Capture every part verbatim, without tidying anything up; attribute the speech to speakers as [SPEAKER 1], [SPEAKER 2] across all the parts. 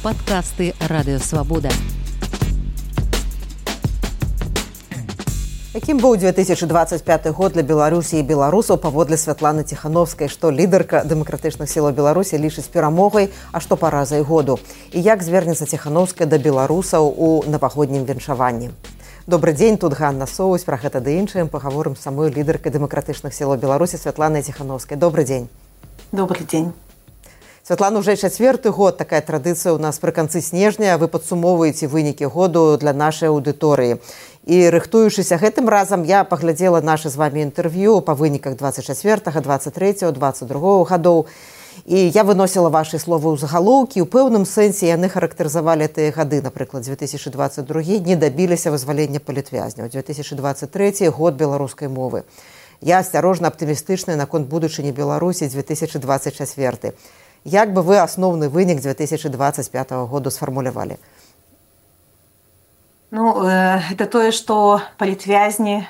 [SPEAKER 1] Падкасты Радыёвабода.
[SPEAKER 2] Якім быў две тысячы дваццаць пяты год для Беларусі і беларусаў паводле Святланы Ціхановскай, што лідарка дэмакратычных сілаў Беларусі лічыць перамогай, а што паразай году? І як звернецца Ціхановская да беларусаў у навагоднім віншаванні? Добры дзень, тут Ганна Соусь, пра гэта ды іншым пагаворым з самой лідаркай дэмакратычных сілаў Беларусі Святланай Ціхановскай. Добры дзень.
[SPEAKER 3] Добрый дзень.
[SPEAKER 2] Святлана, уже чацвёрты год такая традыцыя ў нас пры канцы снежня. Вы падсумоўваеце вынікі году для нашай аўдыторыі. І рыхтуючыся гэтым разам, я паглядзела нашы з вамі інтэрв'ю па выніках дваццаць чацвёртага, дваццаць трэцяга, дваццаць другога гадоў. І я выносіла вашы словы ў загалоўкі. У пэўным сэнсе яны характарызавалі тыя гады. Напрыклад, две тысячи двадцать другі не дабіліся вызвалення палітвязняў. две тысячи двадцать трэці год беларускай мовы. Я асцярожна аптымістычная наконт будучыні Беларусі две тысячи двадцать чацвёрты. Як бы вы асноўны вынік две тысячи двадцать пятого году сфармулявалі?
[SPEAKER 3] Ну, это тое, што палітвязні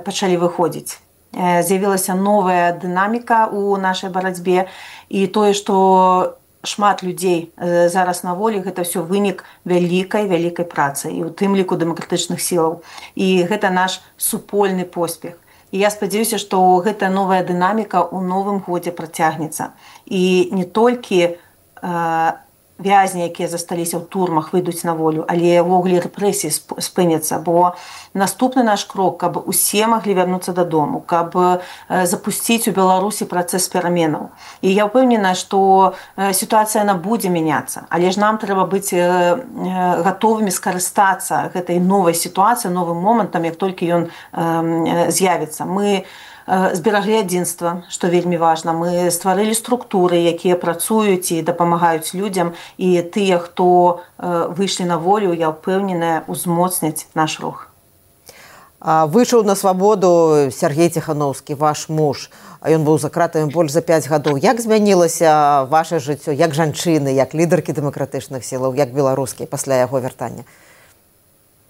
[SPEAKER 3] пачалі выходзіць. З'явілася новая дынаміка ў нашай барацьбе, і тое, што шмат людзей зараз на волі, гэта ўсё вынік вялікай вялікай працы, і ў тым ліку дэмакратычных сілаў. І гэта наш супольны поспех. І я спадзяюся, што гэтая новая дынаміка ў новым годзе працягнецца. І не толькі э, вязні, якія засталіся ў турмах, выйдуць на волю, але ўвогуле рэпрэсіі спыняцца, бо наступны наш крок, каб усе маглі вярнуцца дадому, каб э, запусціць у Беларусі працэс пераменаў. І я ўпэўнена, што э, сітуацыя яна будзе мяняцца, але ж нам трэба быць э, э, гатовымі скарыстацца гэтай новай сітуацыі, новым момантам, як толькі ён э, з'явіцца. Мы збераглі адзінства, што вельмі важна. Мы стварылі структуры, якія працуюць і дапамагаюць людзям, і тыя, хто выйшлі на волю, я ўпэўненая, узмоцняць наш рух.
[SPEAKER 2] Выйшаў на свабоду Сергей Ціхановскі, ваш муж. Ён быў за кратамі больш за пяць гадоў. Як змянілася ваше жыццё, як жанчыны, як лідаркі дэмакратычных сілаў, як беларускія пасля яго вяртання?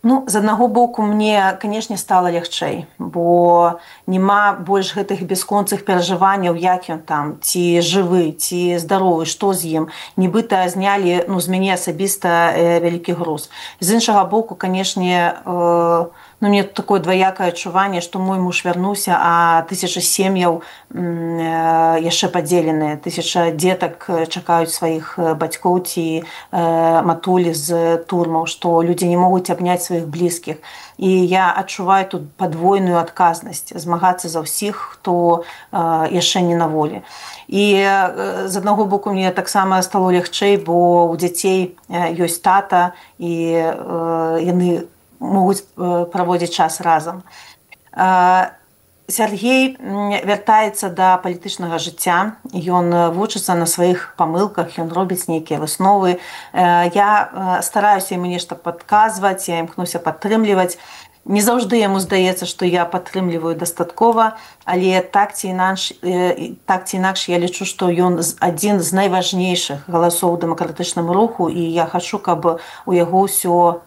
[SPEAKER 3] Ну, з аднаго боку, мне, канешне, стала лягчэй, бо няма больш гэтых бясконцых перажыванняў, як ён там, ці жывы, ці здаровы, што з ім. Нібыта знялі, ну, з мяне асабіста э, вялікі груз. З іншага боку, канешне, э, ну, мне такое дваякае адчуванне, што мой муж вярнуўся, а тысяча сем'яў э, яшчэ падзеленыя. Тысяча дзетак чакаюць сваіх бацькоў ці э, матулі з турмаў, што людзі не могуць абняць сваіх блізкіх. І я адчуваю тут падвойную адказнасць змагацца за ўсіх, хто э, яшчэ не на волі. І э, з аднаго боку мне таксама стало лягчэй, бо у дзяцей э, ёсць тата, і э, яны могуць э, праводзіць час разам. Э, Сергей вяртаецца да палітычнага жыцця, ён вучыцца на сваіх памылках, ён робіць нейкія высновы. Я стараюся яму нешта падказваць, я імкнуся падтрымліваць. Не заўжды яму здаецца, што я падтрымліваю дастаткова, але так ці інакш, так ці інакш я лічу, што ён адзін з найважнейшых галасоў у дэмакратычным руху, і я хачу, каб у яго ўсё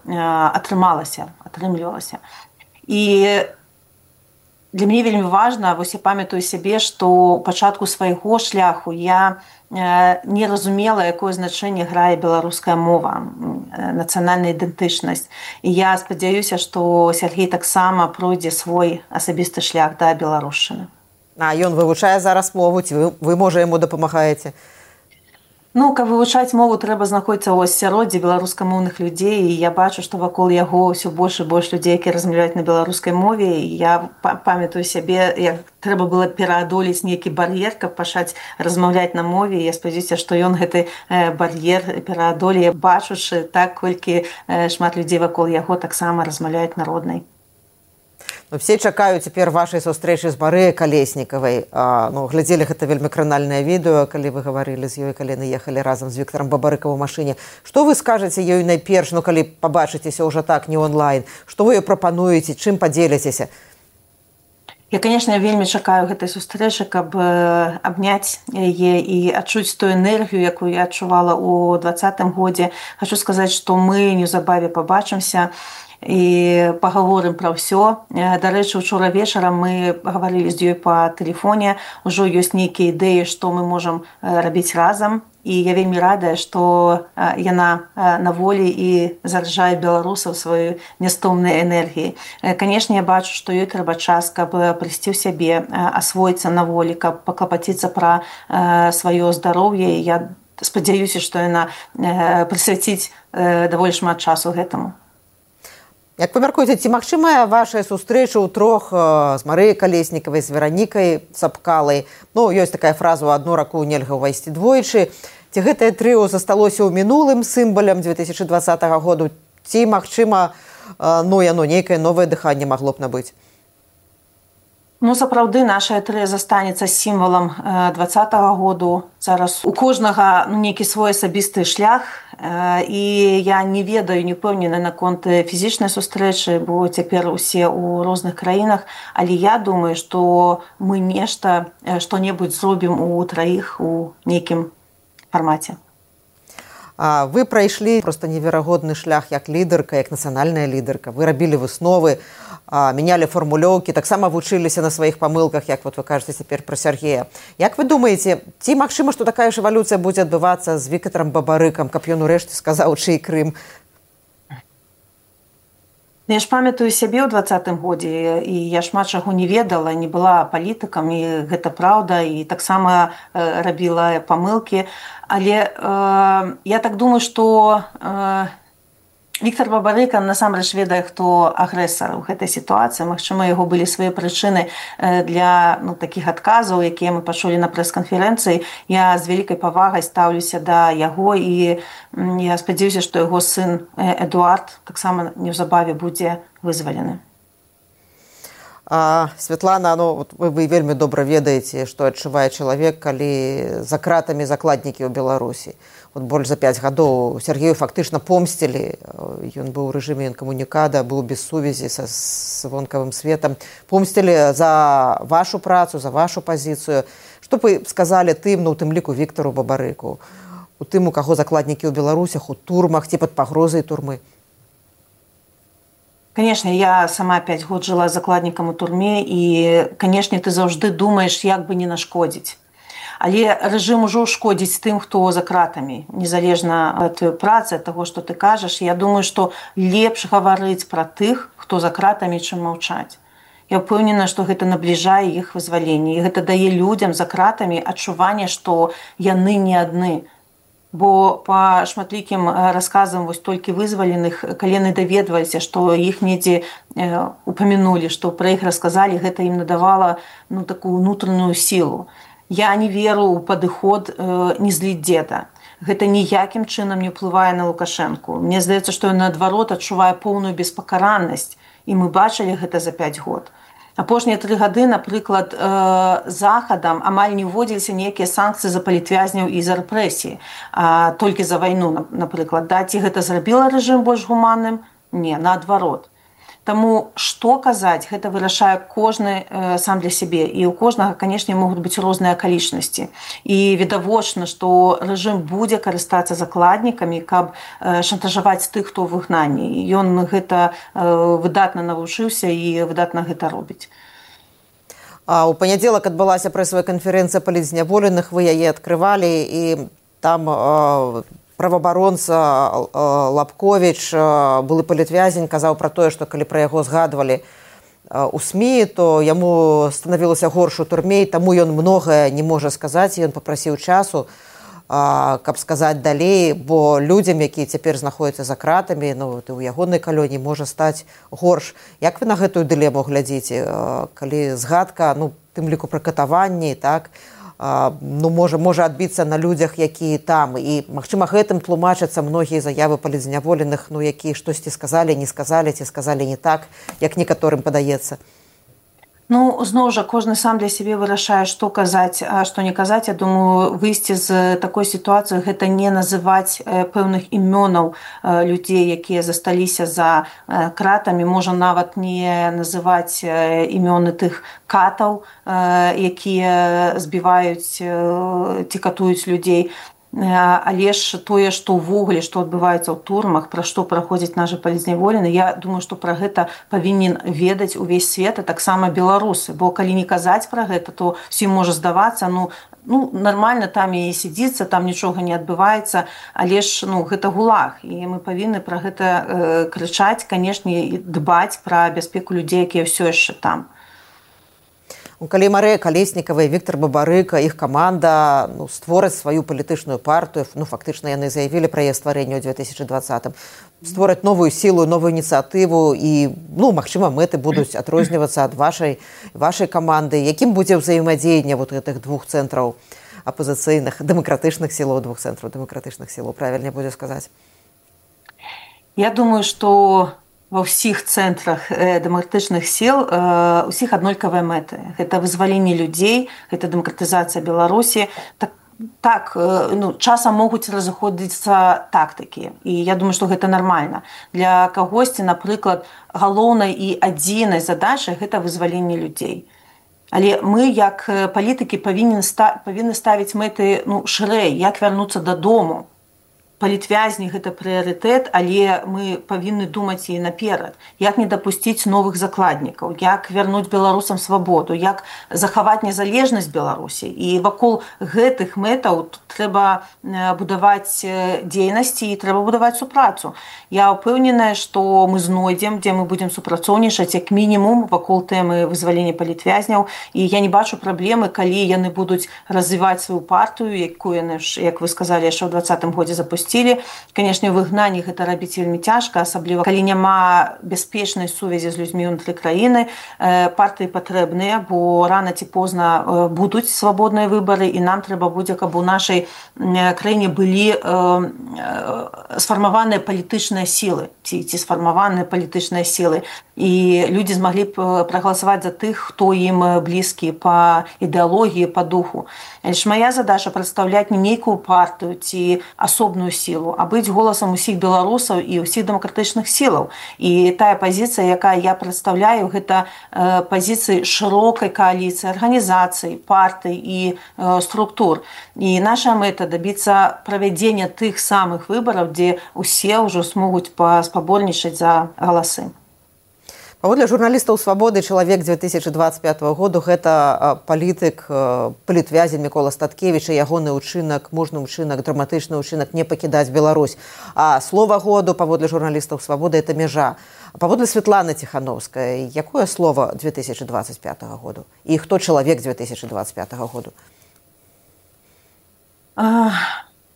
[SPEAKER 3] атрымалася, атрымлівалася. І для мяне вельмі важна, вось я памятаю сябе, што ў пачатку свайго шляху я не разумела, якое значэнне грае беларуская мова, нацыянальная ідэнтычнасць. І я спадзяюся, што Сергей таксама пройдзе свой асабісты шлях да беларушчыны.
[SPEAKER 2] А ён вывучае зараз мову, ці вы, вы можа, яму дапамагаеце?
[SPEAKER 3] Ну, каб вывучаць мову, трэба знаходзіцца ў асяроддзі беларускамоўных людзей, і я бачу, што вакол яго ўсё больш і больш людзей, якія размаўляюць на беларускай мове, і я памятаю сябе, як трэба было пераадолець нейкі бар'ер, каб пачаць размаўляць на мове, і я спадзяюся, што ён гэты бар'ер пераадолее, бачучы так, колькі шмат людзей вакол яго таксама размаўляюць народнай.
[SPEAKER 2] Все чакаюць цяпер вашай сустрэчы з Марыяй Калеснікавай. Ну, глядзелі гэта вельмі кранальнае відэо, калі вы гаварылі з ёй, калі яны ехалі разам з Віктарам Бабарыкам у машыне. Што вы скажаце ёй найперш, ну, калі пабачыцеся ўжо так, не онлайн? Што вы ёй прапануеце, чым падзеліцеся?
[SPEAKER 3] Я, конечно, вельмі чакаю гэтай сустрэчы, каб абняць яе і адчуць тую энергію, якую я адчувала ў двадцатым годзе. Хачу сказаць, што мы неўзабаве пабачымся і пагаворым пра ўсё. Дарэчы, учора вечарам мы гаварылі з ёй па тэлефоне. Ужо ёсць нейкія ідэі, што мы можам рабіць разам. і я вельмі радая, што яна на волі і заражае беларусаў сваёй нястомнай энергіяй. Канешне, я бачу, што ёй трэба час, каб прыйсці ў сябе, асвоіцца на волі, каб паклапаціцца пра сваё здароўе. Я спадзяюся, што яна прысвяціць даволі шмат часу гэтаму.
[SPEAKER 2] Як вы мяркуеце, ці магчымая ваша сустрэча ў трох з Марыяй Калеснікавай, з Веранікай Цапкалай? Ну, ёсць такая фраза: «У адну раку нельга ўвайсці двойчы». Ці гэтае трыо засталося ў мінулым сімвалам дзве тысячы дваццатага году? Ці, магчыма, ну, яно нейкае новае дыханне магло б набыць?
[SPEAKER 3] Ну, сапраўды, наша трыа застанецца сімвалам дваццатага году. Зараз у кожнага ну, нейкі свой асабісты шлях, і я не ведаю, не ўпэўнена наконт фізічнай сустрэчы, бо цяпер усе ў розных краінах, але я думаю, што мы нешта, што-небудзь зробім у траіх у нейкім фармаце.
[SPEAKER 2] А вы прайшлі проста неверагодны шлях як лідарка, як нацыянальная лідарка. Вы рабілі высновы, менялі фармулёўкі, таксама вучыліся на сваіх памылках, як вот вы кажаце цяпер пра Сяргея. Як вы думаеце, ці магчыма, што такая ж эвалюцыя будзе адбывацца з Віктарам Бабарыкам, каб ён урэшце сказаў, чый Крым?
[SPEAKER 3] Я ж памятаю сябе ў дваццатым годзе, і я шмат чаго не ведала, не была палітыкам, і гэта праўда, і таксама рабіла памылкі. Але э, я так думаю, што э, Віктар Бабарыка насамрэч ведае, хто агрэсар у гэтай сітуацыі. Магчыма, яго былі свае прычыны для ну, такіх адказаў, якія мы пачулі на прэс-канферэнцыі. Я з вялікай павагай стаўлюся да яго, і я спадзяюся, што яго сын Эдуард таксама неўзабаве будзе вызвалены.
[SPEAKER 2] А, Святлана, ну, вы, вы вельмі добра ведаеце, што адчувае чалавек, калі за кратамі закладнікі ў Беларусі. Вот больш за пяць гадоў Сяргею фактычна помсцілі. Ён быў у рэжыме інкамунікада, быў без сувязі са з вонкавым светам. Помсцілі за вашу працу, за вашу пазіцыю. Што б вы сказалі тым, ну, у тым ліку Віктару Бабарыку, у тым, у каго закладнікі ў Беларусях, у турмах ці пад пагрозай турмы?
[SPEAKER 3] Канешне, я сама пяць год жыла закладнікам у турме, і, канешне, ты заўжды думаеш, як бы не нашкодзіць. Але рэжым ужо шкодзіць тым, хто за кратамі. Незалежна ад працы, ад таго, што ты кажаш, я думаю, што лепш гаварыць пра тых, хто за кратамі, чым маўчаць. Я ўпэўнена, што гэта набліжае іх вызваленне, і гэта дае людзям за кратамі адчуванне, што яны не адны. Бо па шматлікім расказам вось толькі вызваленых, калі яны даведваліся, што іх недзе упамянулі, што пра іх расказалі, гэта ім надавала ну, такую ўнутраную сілу. Я не веру ў падыход э, не зліць дзеда. Гэта ніякім чынам не ўплывае на Лукашэнку. Мне здаецца, што ён наадварот адчувае поўную беспакараннасць, і мы бачылі гэта за пяць год. Апошнія тры гады, напрыклад, э, захадам амаль не ўводзіліся нейкія санкцыі за палітвязняў і за рэпрэсіі, а толькі за вайну, напрыклад. Да, ці гэта зрабіла рэжым больш гуманным? Не, наадварот. Таму што казаць, гэта вырашае кожны э, сам для сябе. І ў кожнага, канешне, могуць быць розныя акалічнасці. І відавочна, што рэжым будзе карыстацца закладнікамі, каб э, шантажаваць тых, хто ў выгнанні. І ён гэта э, выдатна навучыўся і выдатна гэта робіць.
[SPEAKER 2] А ў панядзелак адбылася прэсавая канферэнцыя палітзняволеных, вы яе адкрывалі, і там э, праваабаронца Лапковіч, былы палітвязень, казаў пра тое, што калі пра яго згадвалі у СМІ, то яму станавілася горш у турме, і таму ён многае не можа сказаць, і ён папрасіў часу, каб сказаць далей, бо людзям, якія цяпер знаходзяцца за кратамі, ну, у ягонай калоніі можа стаць горш. Як вы на гэтую дылему глядзіце, калі згадка, ну, тым ліку пра катаванні, так, ну, можа, можа адбіцца на людзях, якія там. І, магчыма, гэтым тлумачацца многія заявы палітзняволеных, ну, якія штосьці сказалі, не сказалі, ці сказалі не так, як некаторым падаецца.
[SPEAKER 3] Ну, зноў жа, кожны сам для сябе вырашае, што казаць, а што не казаць. Я думаю, выйсці з такой сітуацыі – гэта не называць пэўных імёнаў людзей, якія засталіся за кратамі. Можа нават не называць імёны тых катаў, якія збіваюць ці катуюць людзей. Але ж тое, што ўвогуле, што адбываецца ў турмах, пра што праходзіць нашы палітзняволены, я думаю, што пра гэта павінен ведаць увесь свет, а таксама беларусы. Бо калі не казаць пра гэта, то ўсім можа здавацца, ну, ну, нармальна там і сядзіцца, там нічога не адбываецца, але ж ну, гэта гулаг. І мы павінны пра гэта э, крычаць, канешне, і дбаць пра бяспеку людзей, якія ўсё яшчэ там.
[SPEAKER 2] Калі Марыя Калеснікава і Віктор Бабарыка, іх каманда ну, створаць сваю палітычную партыю, ну, фактычна яны заявілі пра яе стварэнне ў две тысячы двадцатым, створаць новую сілу, новую ініцыятыву і, ну, магчыма, мэты будуць адрознівацца ад вашай, вашай каманды. Якім будзе ўзаемадзеянне вот гэтых двух цэнтраў апозіцыйных, дэмакратычных сілаў, двух цэнтраў дэмакратычных сілаў, правільней будзе сказаць?
[SPEAKER 3] Я думаю, што ва ўсіх цэнтрах дэмакратычных сіл усіх аднолькавыя мэты. Гэта вызваленне людзей, гэта дэмакратызацыя Беларусі. Так, так ну, часам могуць разыходзіцца тактыкі. І я думаю, што гэта нармальна. Для кагосьці, напрыклад, галоўнай і адзінай задачай гэта вызваленне людзей. Але мы, як палітыкі, павінны ставіць мэты ну, шырэй, як вярнуцца дадому. Палітвязні гэта прыярытэт, але мы павінны думаць і наперад. Як не дапусціць новых закладнікаў, як вярнуць беларусам свабоду, як захаваць незалежнасць Беларусі. І вакол гэтых мэтаў трэба будаваць дзейнасці і трэба будаваць супрацу. Я ўпэўненая, што мы знойдзем, дзе мы будзем супрацоўнічаць, як мінімум вакол тэмы вызвалення палітвязняў. І я не бачу праблемы, калі яны будуць развіваць сваю партыю, якую яны, як вы сказалі, яшчэ ў двадцатым годзе запусцілі. Канешне, у выгнанні гэта рабіць вельмі цяжка, асабліва калі няма бяспечнай сувязі з людзьмі ўнутры краіны. Партыі патрэбныя, бо рана ці позна будуць свабодныя выбары, і нам трэба будзе, каб у нашай краіне былі сфармаваныя палітычныя сілы, ці, ці сфармаваныя палітычныя сілы. І людзі змаглі б прагаласаваць за тых, хто ім блізкі па ідэалогіі, па духу. Але ж мая задача прадстаўляць не нейкую партыю ці асобную сілу, а быць голасам усіх беларусаў і ўсіх дэмакратычных сілаў. І тая пазіцыя, якая я прадстаўляю, гэта э, пазіцыі шырокай кааліцыі, арганізацый, партый і э, структур. І наша мэта дабіцца правядзення тых самых выбараў, дзе ўсе ўжо смогуць паспаборнічаць за галасы.
[SPEAKER 2] Паводле журналістаў «Свабоды» чалавек две тысячи двадцать пятого году гэта палітык, палітвязень Мікола Статкевіч і ягоны ўчынак, мужны ўчынак, драматычны ўчынак не пакідаць Беларусь. А слова году паводле журналістаў «Свабоды» это мяжа. А паводле Светланы Ціхановскай, якое слово две тысячи двадцать пятого году? І хто чалавек две тысячи двадцать пятого году?
[SPEAKER 3] А,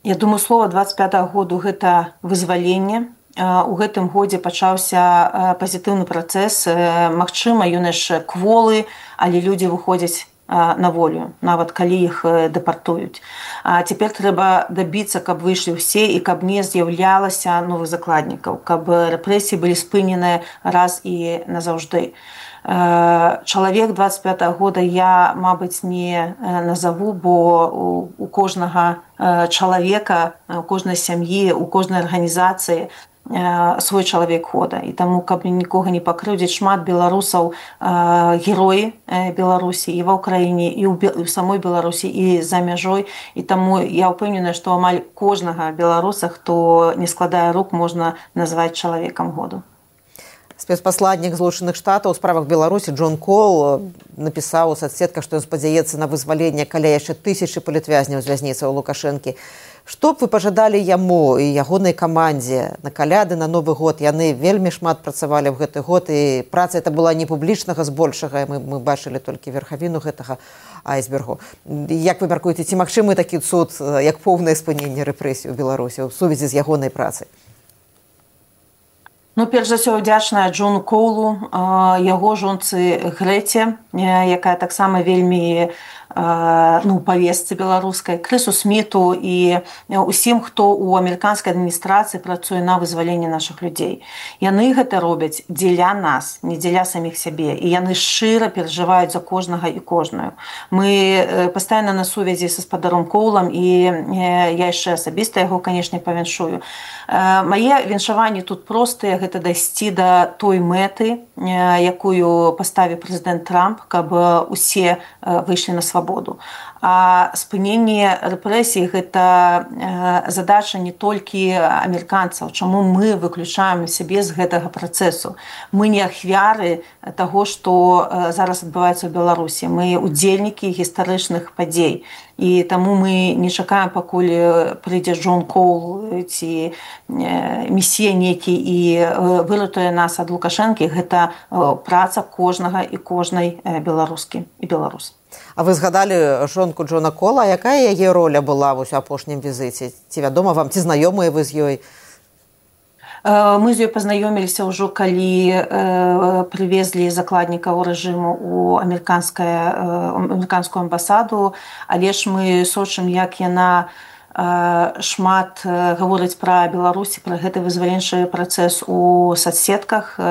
[SPEAKER 3] я думаю, слово двадцать пятого году гэта вызваленне. У гэтым годзе пачаўся пазітыўны працэс. Магчыма, ён яшчэ кволы, але людзі выходзяць на волю, нават калі іх дэпартуюць. А цяпер трэба дабіцца, каб выйшлі ўсе і каб не з'яўлялася новых закладнікаў, каб рэпрэсіі былі спыненыя раз і назаўжды. Чалавек двадцать пятого года я, мабыць, не назову, бо у кожнага чалавека, у кожнай сям'і, у кожнай арганізацыі свой чалавек года. І таму, каб нікога не пакрыўдзіць, шмат беларусаў героі Беларусі і ва ўкраіне, і ў самой Беларусі, і за мяжой. І таму я ўпэўненая, што амаль кожнага беларуса, хто не складае рук, можна назваць чалавекам году.
[SPEAKER 2] Спецпасладнік Злучаных Штатаў у справах Беларусі Джон Кол напісаў у соцсетках, што ён спадзяецца на вызваленне каля яшчэ тысячы палітвязняў з вязніцаў Лукашэнкі. Што б вы пажадалі яму і ягонай камандзе на каляды, на Новы год? Яны вельмі шмат працавалі ў гэты год, і праца это была не публічнага збольшага, мы, мы бачылі толькі верхавіну гэтага айсбергу. Як вы мяркуеце, ці магчымы такі цуд, як поўнае спыненне рэпрэсій у Беларусі ў сувязі з ягонай працай?
[SPEAKER 3] Ну, перш за ўсё, удзячная Джону Коулу, яго жонцы Грэце, якая таксама вельмі ну, павестцы беларускай, Крысу Сміту і усім, хто ў амерыканскай адміністрацыі працуе на вызваленне нашых людзей. Яны гэта робяць дзеля нас, не дзеля саміх сябе. І яны шчыра перажываюць за кожнага і кожную. Мы пастаянна на сувязі са спадаром Коулам, і я яшчэ асабіста яго, канешне, павіншую. Мае віншаванні тут простыя, гэта дайсці да той мэты, якую паставіў прэзідэнт Трамп, каб усе выйшлі на свабоду. А спыненне рэпрэсій – гэта задача не толькі амерыканцаў. Чаму мы выключаем сябе з гэтага працэсу? Мы не ахвяры таго, што зараз адбываецца ў Беларусі. Мы удзельнікі гістарычных падзей. і таму мы не чакаем, пакуль прыйдзе Джон Коул ці месія нейкі і выратуе нас ад Лукашэнкі. Гэта праца кожнага і кожнай беларускі і беларус.
[SPEAKER 2] А вы згадалі жонку Джона Кола, якая яе роля была вось у апошнім візіце? Ці вядома вам, ці знаёмыя вы з ёй?
[SPEAKER 3] Мы з ёй пазнаёміліся ўжо, калі прывезлі закладнікаў рэжыму ў амерыканскую амбасаду, але ж мы сочым, як яна шмат гаворыць пра Беларусі, пра гэты вызваленчы працэс у соцсетках.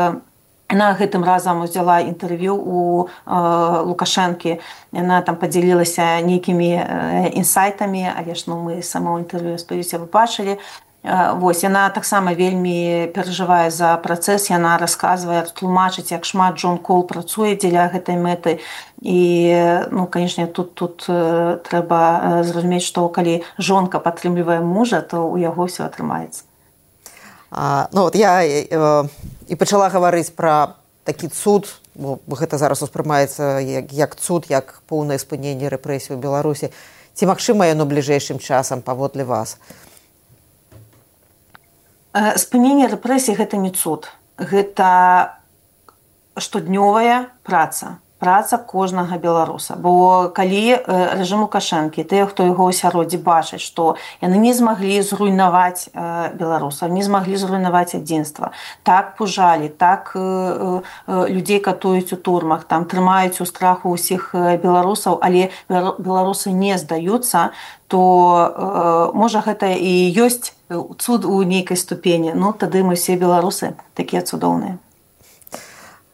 [SPEAKER 3] Яна гэтым разам узяла інтэрв'ю у Лукашэнкі. Яна там падзялілася нейкімі інсайтамі, але ж ну, мы само інтэрв'ю, спадзяюся, вы бачылі. Вось, яна таксама вельмі перажывае за працэс, яна расказвае, тлумачыць, як шмат Джон Кол працуе дзеля гэтай мэты. І, ну, канешне, тут, тут трэба зразумець, што калі жонка падтрымлівае мужа, то ў яго ўсё атрымаецца.
[SPEAKER 2] А, ну, от я э, і пачала гаварыць пра такі цуд, бо гэта зараз успрымаецца як, як цуд, як поўнае спыненне рэпрэсій у Беларусі. Ці магчыма яно бліжэйшым часам паводле вас?
[SPEAKER 3] Спыненне рэпрэсій – гэта не цуд. Гэта штоднёвая праца. Праца кожнага беларуса. Бо калі рэжым Лукашэнкі, тыя, хто яго асяроддзі бачаць, што яны не змаглі зруйнаваць беларусаў, не змаглі зруйнаваць адзінства, так пужалі, так людзей катуюць у турмах, там трымаюць у страху ўсіх беларусаў, але беларусы не здаюцца, то можа гэта і ёсць цуд у нейкай ступені. Ну, тады мы все беларусы такія цудоўныя.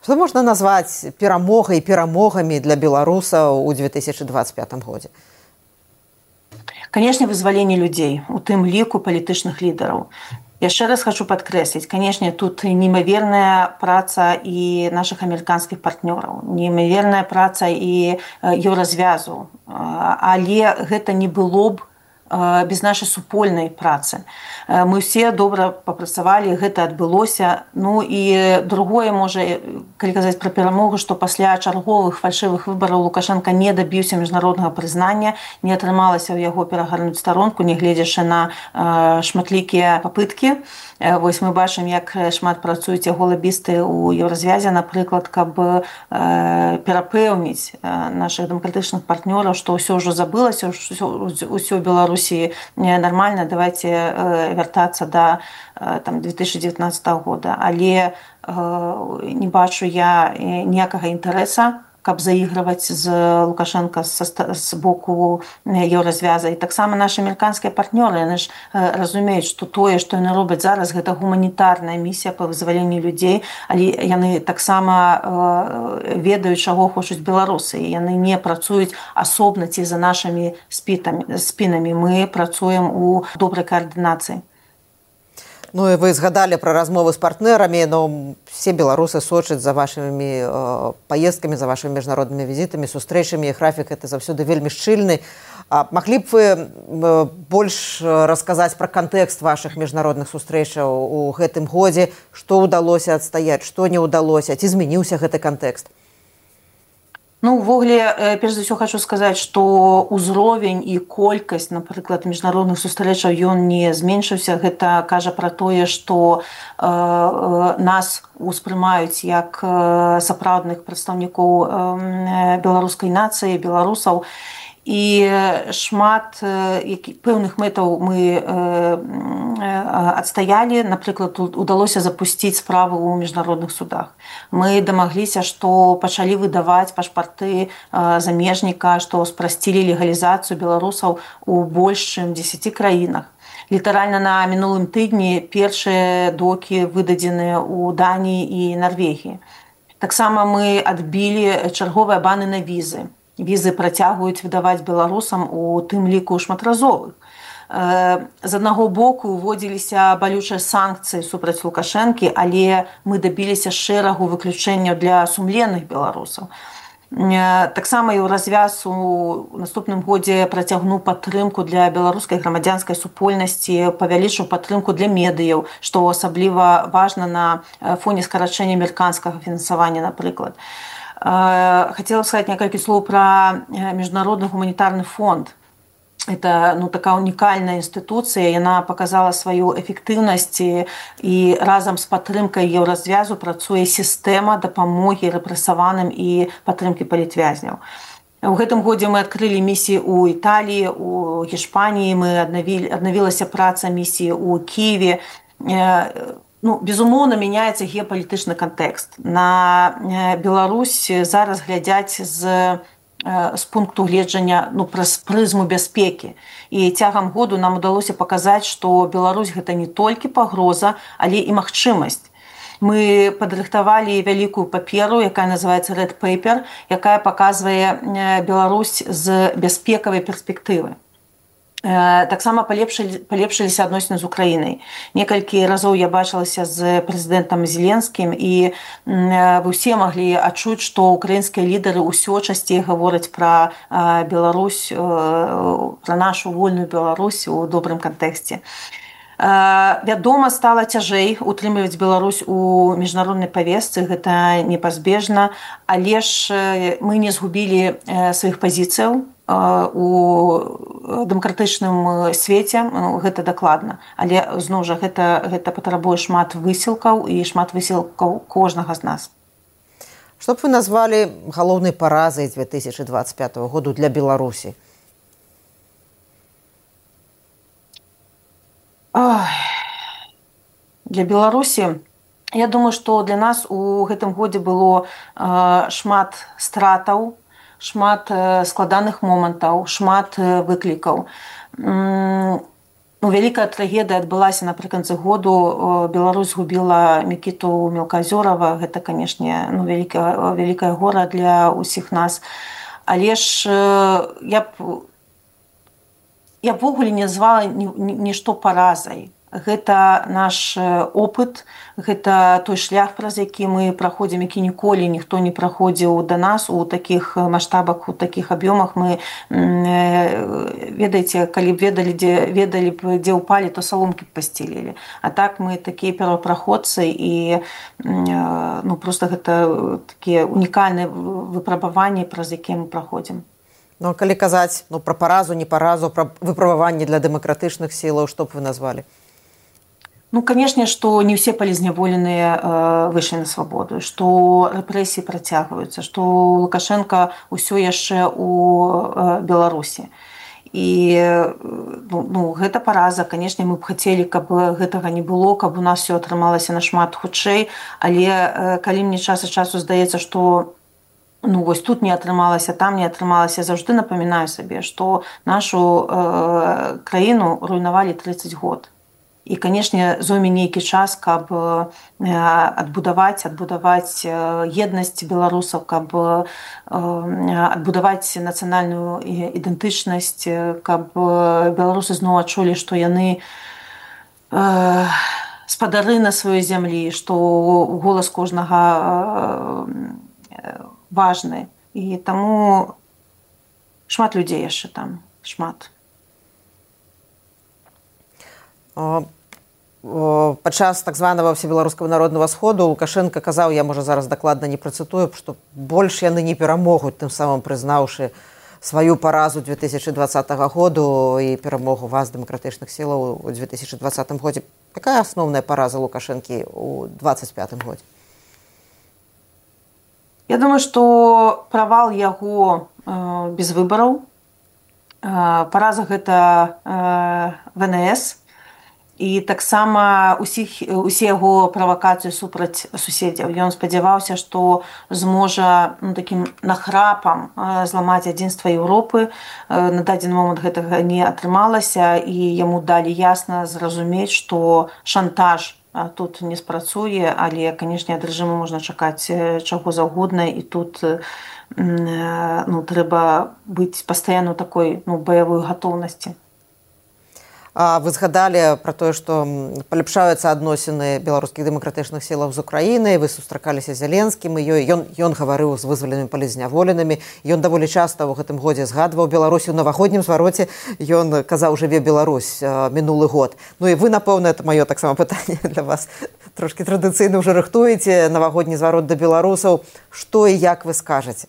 [SPEAKER 2] Што можна назваць перамогай і перамогамі для беларусаў у две тысячы двадцать пятым годзе?
[SPEAKER 3] Канешне, вызваленне людзей, у тым ліку палітычных лідараў. Яшчэ раз хочу падкрэсліць, канешне, тут неимоверная праца і нашых амерыканскіх партнёраў, неимоверная праца і еўразвязу, але гэта не было б без нашай супольнай працы. Мы ўсе добра папрацавалі, гэта адбылося. Ну і другое, можа, калі казаць пра перамогу, што пасля чарговых фальшывых выбараў Лукашенка не дабіўся міжнароднага прызнання, не атрымалася ў яго перагарнуць старонку, нягледзячы на шматлікія папыткі. Вось мы бачым, як шмат працуюць яго лабісты ў еўразвязе, напрыклад, каб перапэўніць нашых дэмакратычных партнёраў, што ўсё ўжо забылася, ўсё Беларусі нормально, давайте вяртацца да там две тысячи девятнадцатого года. Але не бачу я ніякага інтарэса, каб заігрываць з Лукашенко з боку еўразвяза. І таксама нашы амерыканскія партнёры, яны ж разумеюць, што тое, што яны робяць зараз, гэта гуманітарная місія па вызваленні людзей, але яны таксама ведаюць, чаго хочуць беларусы, і яны не працуюць асобна ці за нашымі спінамі. Мы працуем у добрай коаардынацыі.
[SPEAKER 2] Ну і вы згадалі пра размовы з партнерамі, но все беларусы сочаць за вашымі э, паездкамі, за вашымі міжнароднымі візітамі, сустрэчамі, і графік гэта заўсёды вельмі шчыльны. А маглі б вы э, больш расказаць пра кантэкст вашых міжнародных сустрэчаў у гэтым годзе, што ўдалося адстаяць, што не ўдалося, ці змяніўся гэты кантэкст?
[SPEAKER 3] Ну, увогуле, перш за ўсё хочу сказаць, што ўзровень і колькасць, напрыклад, міжнародных сустрэчаў, ён не зменшыўся. Гэта кажа пра тое, што э, нас успрымаюць як сапраўдных прадстаўнікоў э, беларускай нацыі, беларусаў. І шмат пэўных мэтаў мы адстаялі. Напрыклад, удалося запусціць справу ў міжнародных судах. Мы дамагліся, што пачалі выдаваць пашпарты замежніка, што спрасцілі легалізацыю беларусаў у больш чым дзесяці краінах. Літаральна на мінулым тыдні першыя докі выдадзеныя ў Даніі і Нарвегіі. Таксама мы адбілі чарговыя баны на візы. Візы працягваюць выдаваць беларусам, у тым ліку шматразовых. З аднаго боку уводзіліся балючыя санкцыі супраць Лукашэнкі, але мы дабіліся шэрагу выключэнняў для сумленных беларусаў. Таксама еўразвяз у наступным годзе працягнуў падтрымку для беларускай грамадзянскай супольнасці, павялічыў падтрымку для медыяў, што асабліва важна на фоне скарачэння амерыканскага фінансавання, напрыклад. Хотела сказать некалькі слоў пра міжнародны гуманітарны фонд. это ну, такая уникальная институция, она показала свою эффективность, и разом с падтрымкай еўразвязу працуе сістэма дапамогі рэпрэсаваным і падтрымкі палітвязняў. У гэтым годзе мы адкрылі місіі ў Італіі, у Гішпаніі, мы аднавілі, аднавілася праца місіі ў Киеве. Ну, безумоўна, мяняецца геапалітычны кантэкст. На Беларусь зараз глядзяць з з пункту гледжання ну, праз прызму бяспекі. І цягам году нам удалося паказаць, што Беларусь гэта не толькі пагроза, але і магчымасць. Мы падрыхтавалі вялікую паперу, якая называецца Red Paper, якая паказвае Беларусь з бяспекавай перспектывы. Таксама палепшыліся адносіны з Украінай. Некалькі разоў я бачылася з прэзідэнтам Зеленскім, і вы ўсе маглі адчуць, што украінскія лідары ўсё часцей гавораць пра Беларусь, пра нашу вольную Беларусь у добрым кантэксце. Вядома, стала цяжэй утрымліваць Беларусь у міжнароднай павестцы, гэта непазбежна, але ж мы не згубілі сваіх пазіцыяў у дэмакратычным свеце, гэта дакладна. Але, зноў жа, гэта, гэта патрабуе шмат высілкаў і шмат высілкаў кожнага з нас.
[SPEAKER 2] Што б вы назвалі галоўнай паразай две тысячи двадцать пятого году для Беларусі?
[SPEAKER 3] Ой. Для Беларусі, я думаю, што для нас у гэтым годзе было э, шмат стратаў, шмат складаных момантаў, шмат выклікаў. Ну, вялікая трагедыя адбылася напрыканцы году. Беларусь згубіла Мікіту Мелказёрава. Гэта, канешне, ну, вялікае, вялікае гора для ўсіх нас. Але ж я б я ввогуле не назвала нішто паразай. Гэта наш опыт, гэта той шлях, праз які мы праходзім, які ніколі ніхто не праходзіў да нас у такіх маштабах, у такіх аб'ёмах. Мы, ведаеце, калі б ведалі, дзе, ведалі б, дзе ўпалі, то саломкі б пасцелілі. А так мы такія первапраходцы, і ну, проста гэта такія унікальныя выпрабаванні, праз якія мы праходзім.
[SPEAKER 2] Ну, калі казаць ну, пра паразу, не паразу, пра выпрабаванні для дэмакратычных сілаў, што б вы назвалі?
[SPEAKER 3] Ну, канешне, што не ўсе палізняволеныя э, выйшлі на свабоду, што рэпрэсіі працягваюцца, што Лукашенко ўсё яшчэ у э, Беларусі. І ну, ну, гэта параза. Канешне, мы б хацелі, каб гэтага не было, каб у нас все атрымалася нашмат хутчэй, але э, калі мне час ад часу здаецца, што ну, вось тут не атрымалася, там не атрымалася, заўжды напамінаю сабе, што нашу э, краіну руйнавалі тридцать год. І, канешне, зойме нейкі час, каб адбудаваць, адбудаваць еднасць беларусаў, каб адбудаваць нацыянальную ідэнтычнасць, каб беларусы зноў адчулі, што яны спадары на сваёй зямлі, што голас кожнага важны. І таму шмат людзей яшчэ там, шмат.
[SPEAKER 2] Падчас так званага всебеларускага народнага сходу Лукашенко казаў, я, можа, зараз дакладна не працытую, што больш яны не перамогуць, тым самым прызнаўшы сваю паразу две тысячи двадцатого году і перамогу вас, дэмакратычных сілаў, у две тысячи двадцатым годзе. Якая асноўная параза Лукашэнкі ў двадцать пятым годзе?
[SPEAKER 3] Я думаю, што правал яго э, без выбараў. Э, параза гэта э, вэ эн эс. І таксама усіх, усе яго правакацыі супраць суседзяў. Ён спадзяваўся, што зможа ну, такім нахрапам зламаць адзінства Еўропы. На дадзены момант гэтага не атрымалася, і яму далі ясна зразумець, што шантаж тут не спрацуе, але, канешне, ад рэжыму можна чакаць чаго заўгодна, і тут ну, трэба быць пастаянна ў такой ну, баявой гатоўнасці.
[SPEAKER 2] Вы згадалі пра тое, што паляпшаюцца адносіны беларускіх дэмакратычных сілаў з Украінай, вы сустракаліся з Зеленскім, і ён, ён гаварыў з вызваленымі палізняволенымі. Ён даволі часта ў гэтым годзе згадваў Беларусь. У навагоднім звароце ён казаў «Жыве Беларусь» мінулы год. Ну і вы, напэўна, это маё таксама пытанне для вас. Трошкі традыцыйна ўжо рыхтуеце навагодні зварот да беларусаў. Што і як вы скажаце?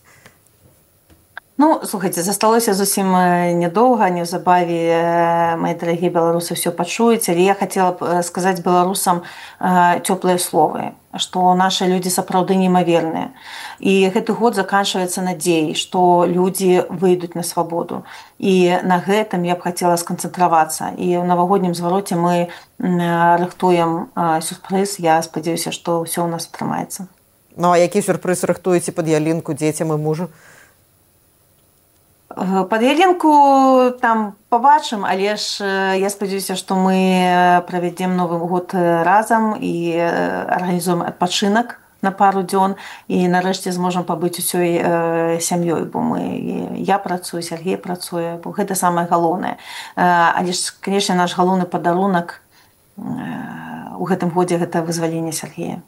[SPEAKER 3] Ну, слухайте, засталося зусім нядоўга, неўзабаве, мои дарагія беларусы, все пачуюць, але я хацела б сказаць беларусам цёплыя словы, што нашы людзі сапраўды немаверныя. І гэты год заканчваецца надзеяй, што людзі выйдуць на свабоду. І на гэтым я б хацела сканцэнтравацца. І ў навагоднім звароце мы рыхтуем сюрпрыз. Я спадзяюся, што ўсё ў нас атрымаецца.
[SPEAKER 2] Ну, а які сюрпрыз рыхтуеце пад ялінку дзецям і мужу?
[SPEAKER 3] Пад ялінку там пабачым, але ж я спадзяюся, што мы правядзем Новы год разам і арганізуем адпачынак на пару дзён і нарэшце зможам пабыць усёй сям'ёй, бо мы, я працую, Сергей працуе, бо гэта самае галоўнае. Але ж, канешне, наш галоўны падарунак у гэтым годзе гэта вызваленне Сергея.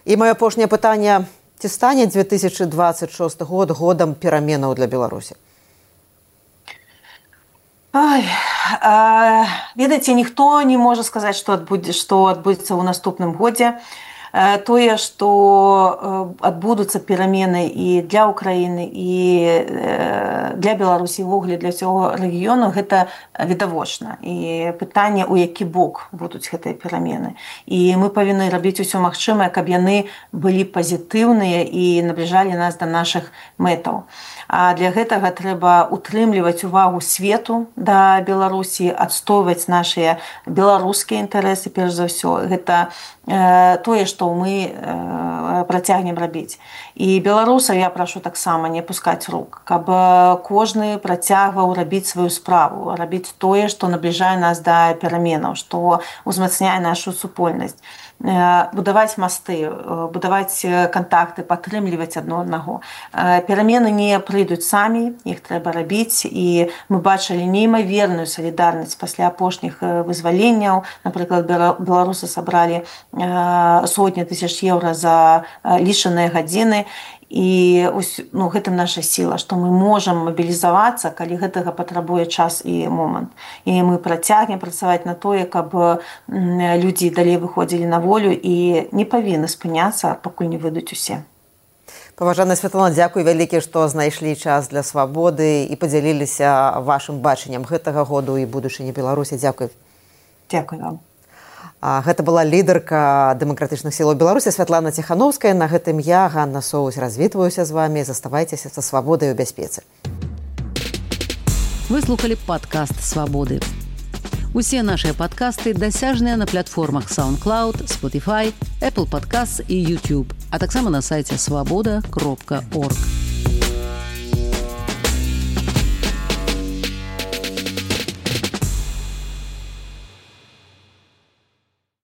[SPEAKER 2] І маё апошняе пытанне: ці стане две тысячи двадцать шесты год годам пераменаў для Беларусі?
[SPEAKER 3] Ай, а, ведаеце, ніхто не можа сказаць, што адбудзе, што адбудзецца ў наступным годзе. Тое, што адбудуцца перамены і для Украіны, і для Беларусі, ўвогуле для ўсяго рэгіёну, гэта відавочна. І пытанне, у які бок будуць гэтыя перамены. І мы павінны рабіць усё магчымае, каб яны былі пазітыўныя і набліжалі нас да нашых мэтаў. А для гэтага трэба утрымліваць увагу свету да Беларусі, адстойваць нашыя беларускія інтарэсы, перш за ўсё. Гэта тое, што мы працягнем рабіць. І беларусаў я прашу таксама не пускаць рук, каб кожны працягваў рабіць сваю справу, рабіць тое, што набліжае нас да пераменаў, што ўзмацняе нашу супольнасць. Будаваць масты, будаваць кантакты, падтрымліваць адно аднаго. Перамены не прыйдуць самі, іх трэба рабіць, і мы бачылі неймаверную салідарнасць пасля апошніх вызваленняў. Напрыклад, беларусы сабралі сотні тысяч еўра за лічаныя гадзіны. І ну, гэта наша сіла, што мы можам мабілізавацца, калі гэтага патрабуе час і момант. І мы працягнем працаваць на тое, каб людзі далей выходзілі на волю і не павінны спыняцца, пакуль не выйдуць усе.
[SPEAKER 2] Паважаная Святлана, дзякуй вялікі, што знайшлі час для свабоды і падзяліліся вашым бачаннем гэтага году і будучыні Беларусі. Дзякуй.
[SPEAKER 3] Дзякуй вам.
[SPEAKER 2] Гэта была лідарка дэмакратычных сілаў Беларусі Святлана Ціхановская. На гэтым я, Ганна Соус, развітваюся з вамі. Заставайцеся са свабодай у бяспецы.
[SPEAKER 1] Вы слухали падкаст «Свабоды». Усе нашыя падкасты дасяжныя на платформах SoundCloud, Spotify, Apple Podcasts і YouTube, а таксама на сайце свабода кропка орг.